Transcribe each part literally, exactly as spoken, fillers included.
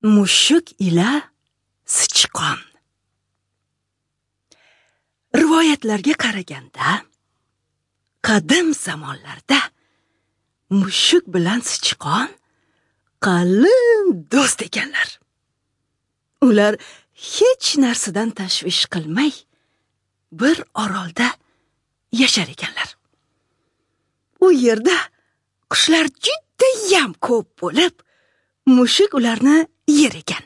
Mushuk ila sichqon. Rivoyatlarga qaraganda, qadim zamonlarda mushuk bilan sichqon qalin do'st ekanlar. Ular hech narsadan tashvish qilmay bir orolda yashar ekanlar. U yerda qushlar judayam ko'p bo'lib, mushuk ularni yer ekan.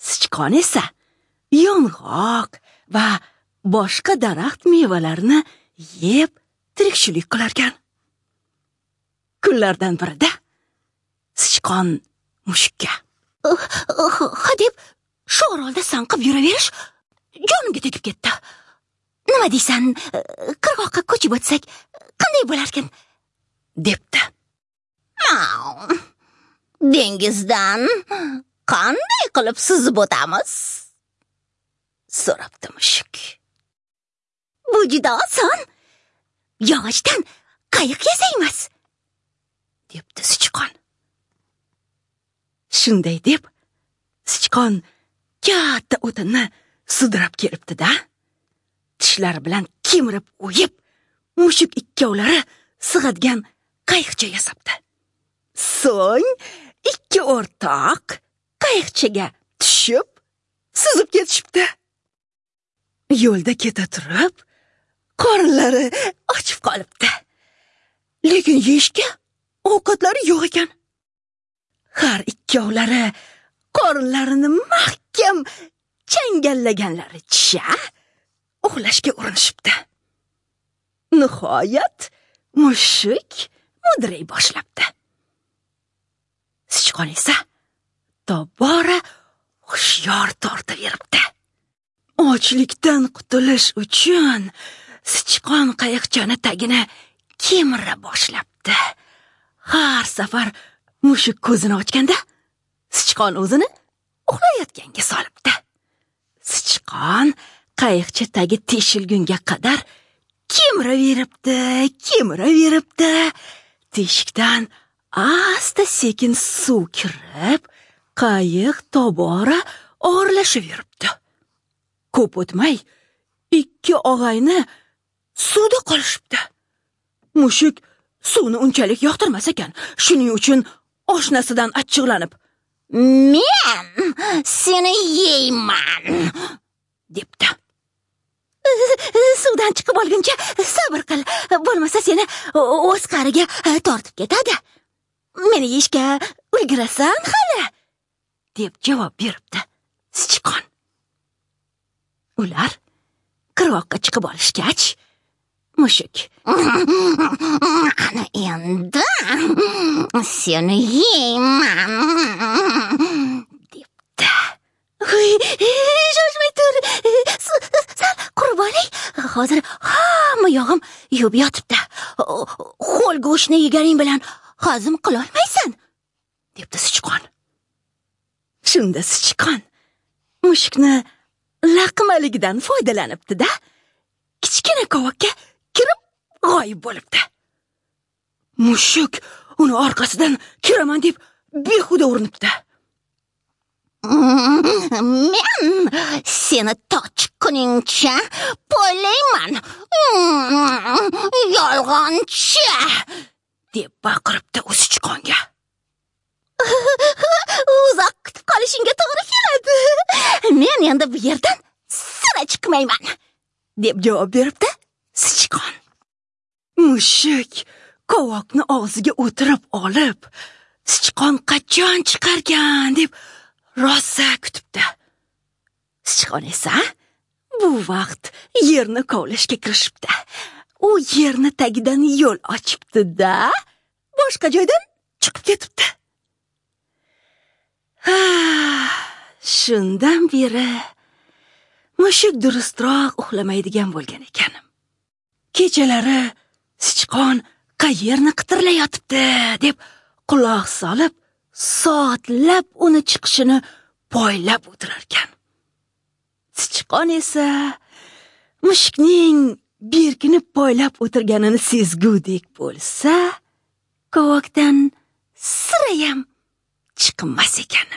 Sichqon esa yong'oq va boshqa daraxt mevalarini yeb tirikchilik qilarkan. Kunlardan birida sichqon mushukka: "Ha deb shu orolda sanqib yuraverish jonimga tegib ketdi. Nima deysan, qirg'oqqa ko'chib o'tsak qanday bo'larkan?" debdi. Dengizdan qanday qilib suzib o'tamiz? So'rabdi mushuk. Bu juda oson. Yog'ochdan qayiq yasaymiz, debdi sichqon. Shunday deb sichqon katta o'tinni sudrab kelibdi-da, tishlari bilan kemirib o'yib, mushuk ikkovlari sig'adigan qayiqcha yasabdi. So'ng ikki o'rtoq qayiqchaga tushib, suzib ketishibdi. Yo'lda keta turib, qorinlari ochib qolibdi. Lekin yeyishga ovqatlari yo'q ekan. Har ikkovlari qorinlarini mahkam changallaganlaricha uxlashga urinishibdi. Nihoyat mushuk mudray boshlabdi. Sichqon esa tobora hushyor tortaveribdi. Ochlikdan qutulish uchun sichqon qayiqchani tagini kemira boshlabdi. Har safar mushuk ko'zini ochganda sichqon o'zini uxlayotganga solibdi. Sichqon qayiqcha tagi teshilgunga qadar kemiraveribdi, kemiraveribdi. Teshikdan asta sekin suv kirib, qayiq tobora og'irlashaveribdi. Ko'p o'tmay ikki og'ayni suvda qolishibdi. Mushuk suvni unchalik yoqtirmas ekan, shuning uchun oshnasidan achchiqlanib, "Men seni yeyman" debdi. Suvdan chiqib olguncha sabr qil, bo'lmasa seni o'z qariga tortib ketadi. Meni yeyishga ulgurasan hali, deb javob beribdi sichqon. Ular qirg'oqqa chiqib olishgach, mushuk: "Ana endi seni yeyman" debdi. Shoshmay tur, sal qurib olay. Hozir hamma yog'im yuvib yotibdi. Ho'l go'shtni yeganing bilan hazm qilolmaysan, debdi sichqon. Shunda sichqon mushukni laqmaligidan foydalanibdi-da, kichkina kovakka kirib g'oyib bo'libdi. Mushuk uni orqasidan kiraman deb behuda urinibdi. Men seni to chiqquningcha poylayman, yolg'onchi, deb baqiribdi u sichqonga. Uzoq kutib qolishingga to'g'ri keladi. Men endi bu yerdan sira chiqmayman, deb javob beribdi sichqon. Mushuk kovoqni og'ziga o'tirib olib, sichqon qachon chiqarkan deb rosa kutibdi. Sichqon esa bu vaqt yerni kovlashga kirishibdi. U yerni tagidan yo'l ochibdi-da, boshqa joydan chiqib ketibdi. Shundan beri mushuk durustroq uxlamaydigan bo'lgan ekan. Kechalari sichqon qayerni qitirlayotibdi deb quloq solib, soatlab uni chiqishini poylab o'tirarkan. Sichqon esa mushukning berkinib poylab o'tirganini sezgudek bo'lsa, kovakdan sirayam chiqmas ekan.